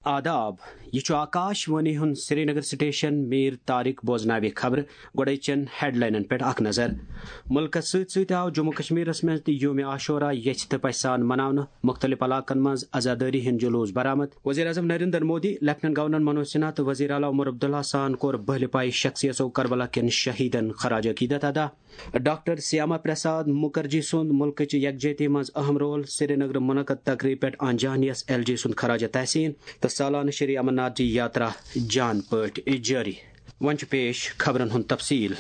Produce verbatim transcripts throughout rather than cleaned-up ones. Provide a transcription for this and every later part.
آداب، یہِ چھُ آکاش وانی ہُنٛد سرینگر سٹیشن۔ میر طارق بوزناوِ خبرٕ۔ گۄڈَے چٮ۪ن ہیڈلاینن پٮ۪ٹھ اکھ نظر۔ مُلکَس سۭتۍ سۭتۍ آو جموں کشمیرَس منٛز تہِ یوم عاشورہ یژھِ تہٕ پژھِ سان مناونہٕ۔ مُختٔلِف علاقن منٛز عزادٲری ہٕنٛدۍ جلوٗس برآمد۔ وزیر اعظم نریندر مودی، لیفٹیننٹ گورنر منوج سنہا تہٕ وزیر اعلیٰ عمر عبداللہ سان کوٚر بہلہِ پایہِ شخصیژو کربلا کٮ۪ن شہیدن خراج عقیدت ادا۔ ڈاکٹر سیاما پرساد مکرجی سُنٛد مُلکٕچ یکجہتی منٛز اہم رول۔ سرینگر منعقد تقریب پٮ۪ٹھ آن جہانیس ایل جی سُنٛد خراج تحسین تہٕ سالانہٕ شری امرناتھ جی یاترا جان پٲٹھۍ جٲری۔ وۄنۍ چھُ پیش خبرن ہُنٛد تفصیل۔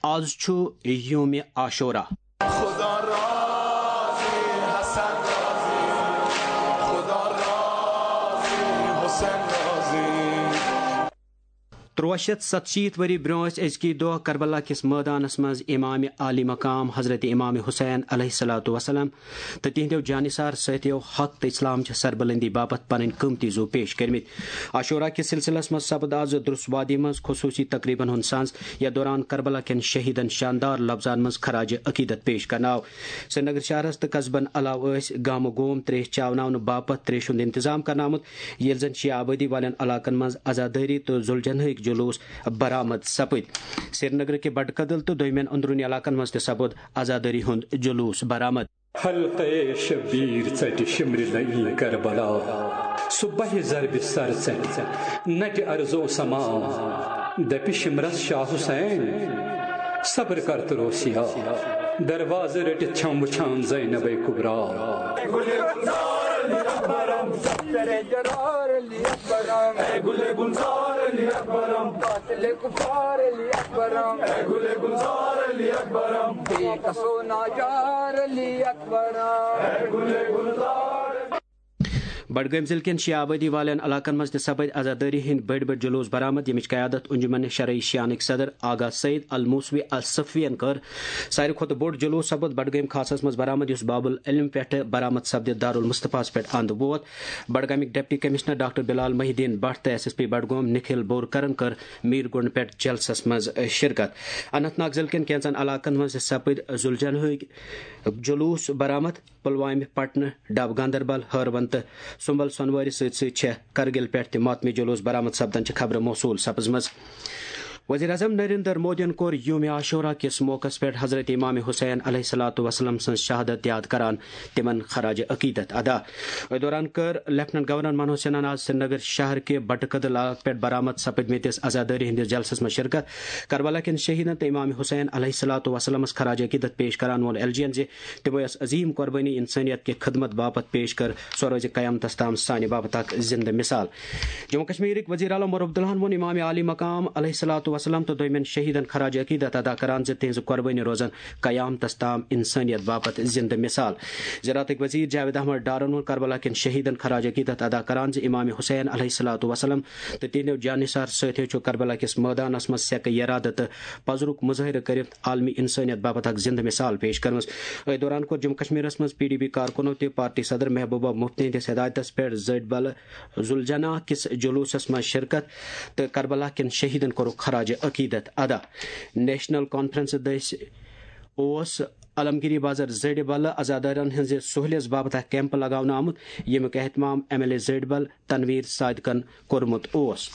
آز چھُ یوم عاشورہ۔ خدا راضی، حسن راضی، خدا راضی، حسین راضی۔ تُرٛواہ شیٚتھ ستشیٖتھ ؤری برٛونٛہہ ٲسۍ أزکی دۄہ کربلا کِس مٲدانس منٛز امام عالی مقام حضرت امام حسین علیہ الصلوۃ والسلام تہٕ تِہنٛدیو جانثار سٲتھیو حق تہٕ اسلام چہِ سربلندی باپتھ پنٕنۍ قۭمتی زُو پیش کٔرمٕتۍ۔ عاشورہ کِس سلسلس منٛز سپد آز درس وادی منٛز خصوصی تقریبن ہُنٛد سانز، یتھ دوران کربلا کٮ۪ن شہیدن شاندار لفظن منٛز خراج عقیدت پیش کرنہٕ آو۔ سرینگر شہرس تہٕ قصبن علاوٕ ٲسۍ گامہٕ گوم تریش چاوناونہٕ باپتھ تریشہِ ہُنٛد انتظام کرنہٕ آمُت، ییٚلہِ زن شیعہ آبٲدی والٮ۪ن علاقن منٛز عزادٲری تہٕ ذوالجناحٕکۍ جلوٗس برآمد سپٕدۍ۔ سرینگرٕ کہِ بٹہٕ کدل تہٕ دوٚیمٮ۪ن أنٛدروٗنی علاقن منٛز تہِ سپُد عزادٲری ہُنٛد جلوٗس برآمد۔ حلقہٕ شبیر ژٹہِ شمرِ نئی کربلا، صبح ضربِ سر ژٹہِ نٹہِ ارزو سما، دپہِ شمرس شاہ حسین، صبر کر تہٕ روسیا۔ دروازٕ رٔٹِتھ چھم وٕچھان زینبے کبرا۔ بڈگٲمۍ ضلعہٕ کٮ۪ن شیعہ آبٲدی والٮ۪ن علاقن منٛز تہِ سپٕدۍ عزادٲری ہٕنٛدۍ بٔڑۍ بٔڑۍ جلوٗس برآمد، ییٚمِچ قیادت انجمن شرعی شیعانٕکۍ صدر آغا سعید الموسوی الصفوین کٔر۔ ساروی کھۄتہٕ بوٚڑ جلوٗس سپُد بڈگٲمۍ خاصس منٛز برآمد، یُس باب العلم پٮ۪ٹھٕ برآمد سپدِتھ دارالمصطفیٰ ہس پٮ۪ٹھ اند ووت۔ بڈگامٕکۍ deputy commissioner doctor Bilal Mohi uddin Bhat تہٕ S S P Budgam Nikhil بورکرن کٔر میر گنڈ پٮ۪ٹھ جلسس منٛز شرکت۔ اننت ناگ ضلعہٕ کٮ۪ن کینٛژن علاقن منٛز تہِ سپٕدۍ ذوالجناحٕکۍ جلوٗس برآمد۔ پلوامہ، پٹنہ، ڈب گاندربل، ہٲروَن تہٕ سُمبل سۄنوارِ سۭتۍ سۭتۍ چھےٚ کرگل پٮ۪ٹھ تہِ ماتمی جلوٗس برآمد سپدنچہِ خبرٕ موصوٗل سپٕزمٕژ۔ وزیر اعظم نریندر مودیَن کوٚر یوم عاشورہ کِس موقعس پٮ۪ٹھ حضرت امام حسین علیہ الصلوۃ والسلام سٕنٛز شہادت یاد کران تِمن خراج عقیدت ادا۔ أتھۍ دوران کٔر لیفٹیننٹ گورنر منوج سنہن آز سرینگر شہر کہِ بٹہٕ کدل علاقہٕ پٮ۪ٹھ برآمد سپٕدمٕتِس عزادٲری ہٕنٛدِس جلسس منٛز شرکت۔ کربلا کٮ۪ن شہیدن تہٕ امام حسین علیہ الصلوۃ والسلامس خراج عقیدت پیش کران ووٚن ایل جی یَن زِ تِمو یۄس عظیم قربٲنی انسٲنیت کہِ خدمت باپتھ پیش کٔر، سۄ روزِ قیامتس تام سانہِ باپتھ اکھ زندٕ مثال۔ جموں کشمیرٕکۍ وزیر اعلیٰ عمر عبداللہن ووٚن امام عالی مقام علیہ الصلوۃ والسلام تہٕ دوٚیمٮ۪ن شہیدن خراج عقیدت ادا کران زِ تِہنٛز قربٲنی روزن قیامتس تام انسٲنیت باپتھ زندٕ مثال۔ زراعتٕکۍ وزیر جاوید احمد ڈارن ووٚن کربلا کٮ۪ن شہیدن خراج عقیدت ادا کران زِ امام حسین علیہ الصلوۃ والسلام تہٕ تِہنٛدیو جانثار سٲتھیو چھُ کربلا کِس مٲدانس منٛز سیکہٕ ارادٕ تہٕ پزرُک مظٲہرٕ کٔرِتھ عالمی انسٲنیت باپتھ اکھ زندٕ مثال پیش کٔرمٕژ۔ أتھۍ دوران کوٚر جموں کشمیرس منٛز پی ڈی پی کارکُنو تہِ پارٹی صدر محبوبہ مفتی ہٕنٛدِس ہدایتس پٮ۪ٹھ زٔٹۍ بلہٕ ذوالجناح کِس جلوٗسس منٛز شرکت تہٕ کربلا کٮ۪ن شہیدن کوٚرُکھ خراج عقیدت ادا۔ نیشنل کانفرنس دٔسۍ اوس علمگیری بازر زٔڈِ بلہٕ عزادارن ہٕنٛزِ سہولیژ باپتھ اکھ کیمپ لگاونہٕ آمُت، ییٚمیُک اہتمام ایم ایل اے زٔڈ بل تنویر صادقن کوٚرمُت اوس۔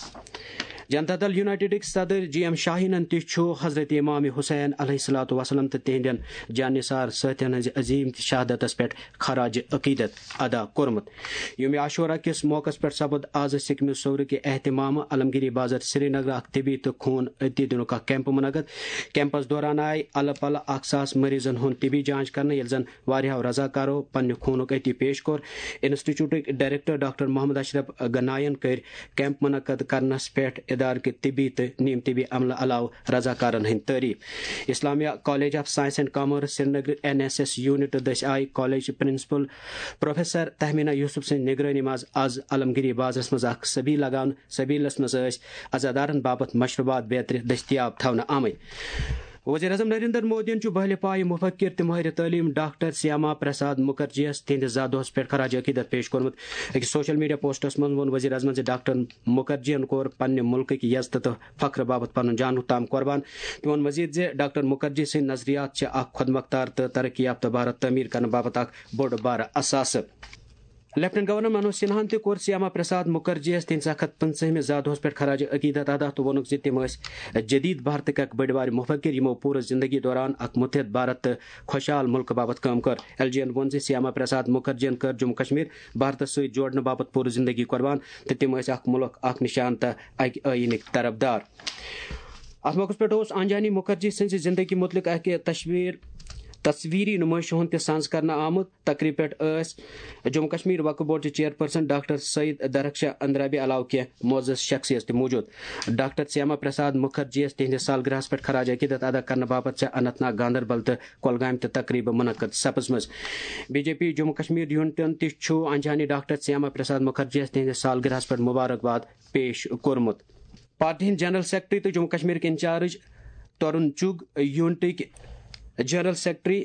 جنتا دل یونائیٹڈٕکۍ صدر جی ایم شاہینن تہِ چھُ حضرت امام حسین علیہ الصلوۃ والسلام تہٕ تِہنٛدٮ۪ن جانثار سٲتھین ہٕنٛزِ عظیم شہادتس پٮ۪ٹھ خراج عقیدت ادا کوٚرمُت۔ یوم عاشورہ کِس موقعس پٮ۪ٹھ سپُد آز سکمہِ صورٕ کہِ اہتمامہٕ علمگیری بازر سرینگر اکھ طبی تہٕ خوٗن عطیہ دِنُک اکھ کیمپ منعقد۔ کیمپس دوران آیہِ الہٕ پلہٕ اکھ ساس مریضن ہُنٛد طبی جانچ کرنہٕ، ییٚلہِ زن واریاہو رضاکارو پننہِ خوٗنُک عطیہ پیش کوٚر۔ انسٹیٹیوٹٕکۍ ڈائریکٹر ڈاکٹر محمد اشرف گناین کٔرۍ کیمپ منعقد کرنس پٮ۪ٹھ ادارٕکہِ طبی تہٕ نیم طبی عملہٕ علاوٕ رضاکارن ہٕنٛدۍ تعریف۔ Islamia college of science and commerce Srinagar N S S unit دٔسۍ آیہِ college principal professor Tehmina Yousuf سٕنٛز نگرٲنی منٛز آز علمگیری بازرس منٛز اکھ سبیل لگاونہٕ۔ سبیلس منٛز ٲسۍ عزادارن باپتھ مشروبات بیترِ دٔستیاب تھاونہٕ آمٕتۍ۔ وزیر اعظم نریندر مودیَن چھُ بہلہِ پایہِ مفکر تہٕ مٲہِرِ تعلیٖم ڈاکٹر سیاما پرساد مکرجیَس تِہنٛدِس زا دۄہَس پٮ۪ٹھ خراج عقیدت پیش کوٚرمُت۔ أکِس سوشل میڈیا پوسٹَس منٛز ووٚن وزیر اعظمَن زِ ڈاکٹر مکرجیَن کوٚر پننہِ مُلکٕکۍ یزتہٕ تہٕ فخرٕ باپتھ پنُن جان تام قربان۔ تٔمۍ ووٚن مزید زِ ڈاکٹر مکرجی سٕنٛدۍ نظریات چھِ اکھ خۄد مختار تہٕ ترقی یافتہٕ بھارت تعمیٖر کرنہٕ باپتھ اکھ بوٚڑ بارٕ اثاثہٕ۔ لیفٹیننٹ گورنر منوج سنہاہن تہِ کوٚر سیاما پرساد مکھرجی یَس تِہنٛدِ سخت پنژٲہمہِ زا دۄہس پٮ۪ٹھ خراج عقیدت ادا تہٕ ووٚنُکھ زِ تِم ٲسۍ جدید بھارتٕکۍ اکھ بٔڑۍ بارٕ مفکر، یِمو پوٗرٕ زندگی دوران اکھ متحد بھارت تہٕ خۄشحال ملکہٕ باپتھ کٲم کٔر۔ ایل جی یَن ووٚن زِ سیاما پرساد مکھرجی یَن کٔر جموں کشمیر بھارتس سۭتۍ جوڑنہٕ باپتھ پوٗرٕ زندگی قربان تہٕ تِم ٲسۍ اکھ ملک، اکھ نشان تہٕ اکہِ ٲییٖنٕکۍ طرفدار۔ اتھ موقعس پٮ۪ٹھ اوس آنجہانی مکھرجی سٕنزِ زندگی متعلق اکہِ تشویر تصویری نمٲیشہِ ہُند تہِ سانز کرنہٕ آمُت۔ تقریبہِ پٮ۪ٹھ ٲسۍ جموں کشمیر وقف بورڈ چہِ چیئرپرسن ڈاکٹر سید درخشاں اندرابی علاوٕ کینٛہہ معزز شخصیت تہِ موجود۔ ڈاکٹر سیاما پرساد مکھرجی یَس تِہنٛدِس سالگرہس پٮ۪ٹھ خراج عقیدت ادا کرنہٕ باپتھ چھےٚ اننت ناگ، گاندربل تہٕ کۄلگامہِ تہِ تقریبہٕ منعقد سپٕزمٕژ۔ B J P Jammu Kashmir یونٹن تہِ چھُ آنجہانی ڈاکٹر سیاما پرساد مکھرجی یَس تِہنٛدِس سالگرہس پٮ۪ٹھ مبارکباد پیش کوٚرمُت۔ پارٹی ہٕنٛدۍ جنرل سیکرٹری تہٕ جموں کشمیرٕکۍ انچارج ترون چُگ، یونٹٕکۍ جنرل سیکرٹری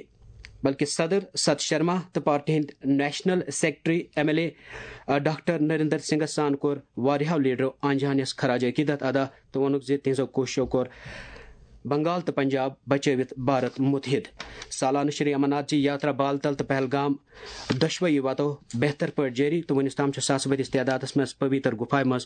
بلکہ صدر ست شرما تہٕ پارٹی ہٕنٛدۍ national secretary M L A doctor Narendra سنگھس سان کوٚر واریاہو لیڈرو آنجہانیس خراج عقیدت ادا تہٕ ووٚنُکھ زِ تِہنٛزو کوٗششو کوٚر بنگال تہٕ پنجاب بچٲوِتھ بھارت متحد۔ سالانہٕ شری امرناتھ جی یاترا بالتل تہٕ پہلگام دۄشوَے وتو بہتر پٲٹھۍ جٲری تہٕ وُنیُس تام چھُ ساسہٕ بٔدِس تعدادَس منٛز پویتر گُفایہِ منٛز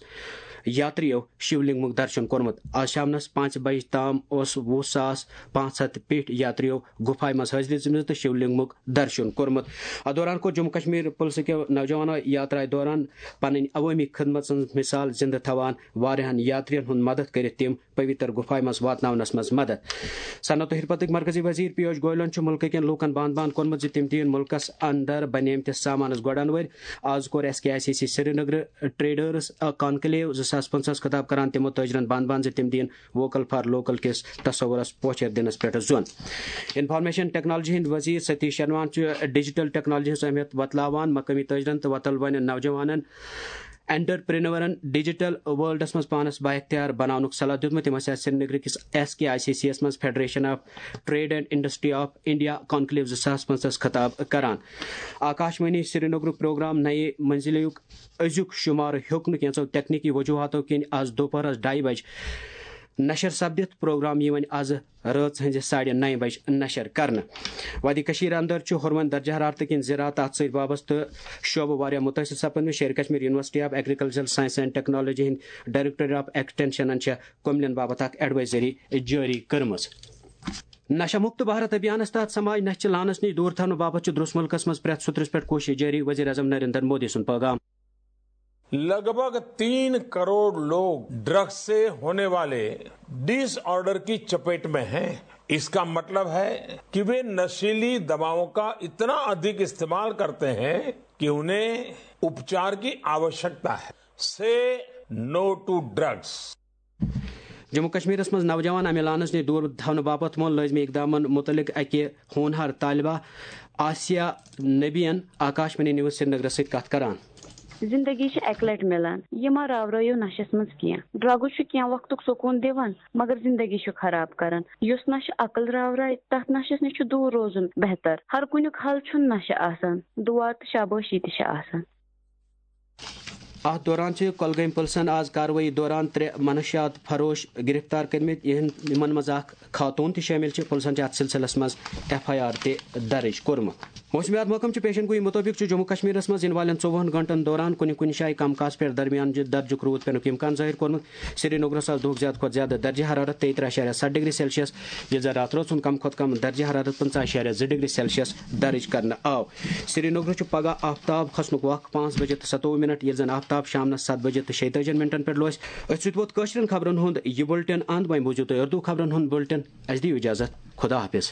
یاترِیو شِولنگمُک درشن کوٚرمُت۔ آز شامنَس پانٛژِ بجہِ تام اوس وُہ ساس پانٛژھ ہَتھ پیٹھۍ یاترِیو گُفایہِ منٛز حٲضری دِژمٕژ تہٕ شِولنگمُک درشن کوٚرمُت۔ اَتھ دوران کوٚر جموں کشمیر پُلسٕکیو نوجوانو یاترایہِ دوران پنٕنۍ عوٲمی خدمت سٕنٛز مثال زِنٛدٕ تھاوان واریاہَن یاترِین ہُنٛد مدد کٔرِتھ تِم پویتر گُفایہِ منٛز واتناونس منٛز مدد۔ صنعت و حرفتٕکۍ مرکزی وزیر پیوش گوئلن چھُ مُلکہٕ کٮ۪ن لوٗکن بانٛد بانٛد کوٚرمُت زِ تِم دِیِن مُلکس اندر بنیمتِس سامانس گۄڈٕ انوٲرۍ۔ آز کوٚر S K I C C سرینگرٕ ٹریڈرز کانکلیو زٕ ساس پٕنٛژٕہس خطاب کران تِمو تٲجرن بانٛد بانٛد زِ تِم دِیِن ووکل فار لوکل کِس تصورس پوچھر دِنس پٮ۪ٹھ زون۔ انفارمیشن ٹیکنالوجی ہٕنٛدۍ وزیر ستیش شرمان چھُ ڈیجیٹل ٹیکنالوجی ہٕنٛز اہمیت وۄتلاوان مقٲمی تٲجرن تہٕ وۄتلوٕنٮ۪ن نوجوانن انٹرپرینورن ڈیجیٹل ورلڈس منٛز پانس بااختیار بناونُک صلاح دیُتمُت۔ تِم ٲسۍ آز سرینگرٕ کِس S K I C C یَس منٛز federation of trade and industry of India conclave زٕ ساس پانٛژس خطاب کران۔ آکاشوانی سرینگرُک پروگرام نئے منزلیُک أزیُک شمارٕ ہیوٚک نہٕ کینٛژو تکنیکی وجوہاتو کِنۍ آز دوپہرس ڈایہِ بجہِ نشر سپدِتھ۔ پروگرام یِیہِ وۄنۍ آز رٲژ ہٕنزِ ساڑِ نَیہِ بجہِ نشر کرنہٕ۔ وادی کشمیر اندر چھُ ہُروَن درجہ حرارتہٕ کِنۍ زِراعت تہٕ اَتھ سۭتۍ وابستہٕ شعبہٕ واریاہ مُتٲثِر سپدمٕتۍ۔ Sher-e Kashmir university of agricultural science and technology ہٕنٛدۍ ڈائریکٹر آف ایکسٹینشنن چھےٚ کُملین باپتھ اکھ ایڈوائزری جٲری کٔرمٕژ۔ نشہ مکت بھارت ابھیانس تحت سماج نشہ چہِ لعنتس نِش دور تھاونہٕ باپتھ چھُ درست مُلکس منٛز پرٛٮ۪تھ سُہ ترٛس پٮ۪ٹھ کوٗشش جٲری، وزیر اعظم نریندر مودی سُنٛد پیغام۔ लगभग तीन करोड़ लोग ड्रग्स से होने वाले डिसऑर्डर की चपेट में हैं। इसका मतलब है कि वे नशीली दवाओं का इतना अधिक इस्तेमाल करते हैं कि उन्हें उपचार की आवश्यकता है। से नो टू ड्रग्स। جموں کشمیرس منٛز نوجوان امہِ لعنتس نِش دوٗر تھاونہٕ باپتھ ووٚن لٲزمی اقدامن مُتعلق اکہِ ہونہار طالبہ آسیہ نبین آکاشوانی نیوز سرینگرس سۭتۍ کتھ کران۔ زندگی چھِ اکہِ لٹہِ مِلان، یہِ ما راورٲیِو نشس منٛز کینٛہہ۔ ڈرگٕز چھُ کینٛہہ وقتُک سکوٗن دِوان، مگر زندگی چھُ خراب کران۔ یُس نشہٕ عقل راورایہِ، تتھ نشس نِش چھُ دوٗر روزُن بہتر۔ ہر کُنیُک حل چھُنہٕ نشہٕ آسان، دُعا تہٕ شابٲشی تہِ چھِ آسان۔ اتھ دوران چھِ کۄلگٲمۍ پُلسن آز کاروٲیی دوران ترٛےٚ منشیات فروش گرفتار کٔرمٕتۍ، یِہن-، یِمن منٛز اکھ خاتوٗن تہِ شٲمِل چھِ۔ پُلسن چھِ اتھ سلسلس منٛز ایف آئی آر تہِ درٕج کوٚرمُت۔ موسمیات محکمہٕ چہِ پیشن گویی مُطٲبِق چھُ جموں کشمیرس منٛز یِنہٕ والٮ۪ن ژوٚوُہن گھنٹن دوران کُنہِ کُنہِ جایہِ کم کاس پٮ۪ٹھ درمیان درجُک روٗد پینُک امکان ظٲہِر کوٚرمُت۔ سرینگرس آز دۄہُک زیادٕ کھۄتہٕ زیادٕ درجہ حرارت تیٚیہِ ترٕٛہ اعشاریہ ستھ ڈگری سیلسیس، ییٚلہِ زن راتھ رٲژ ہُنٛد کم کھۄتہٕ کم درجہ حرارت پٕنٛژٕہ اعشاریہ زٕ ڈگری سیلسیس درٕج کرنہٕ آو۔ سرینگرس چھُ پگہہ آفتاب کھسنُک وق پانٛژھ بجے تہٕ ستووُہ منٹ، ییٚلہِ زن آفتاب شامنس ستھ بجے تہٕ شیٚتٲجی منٹن پٮ۪ٹھ لوسہِ۔ أتھۍ سۭتۍ ووت کٲشرٮ۪ن خبرن ہُنٛد یہِ بُلٹن اند۔ وۄنۍ بوٗزِو تُہۍ اردو خبرن ہُنٛد بُلٹن۔ اسہِ دِیِو اجازت۔ خدا حافظ۔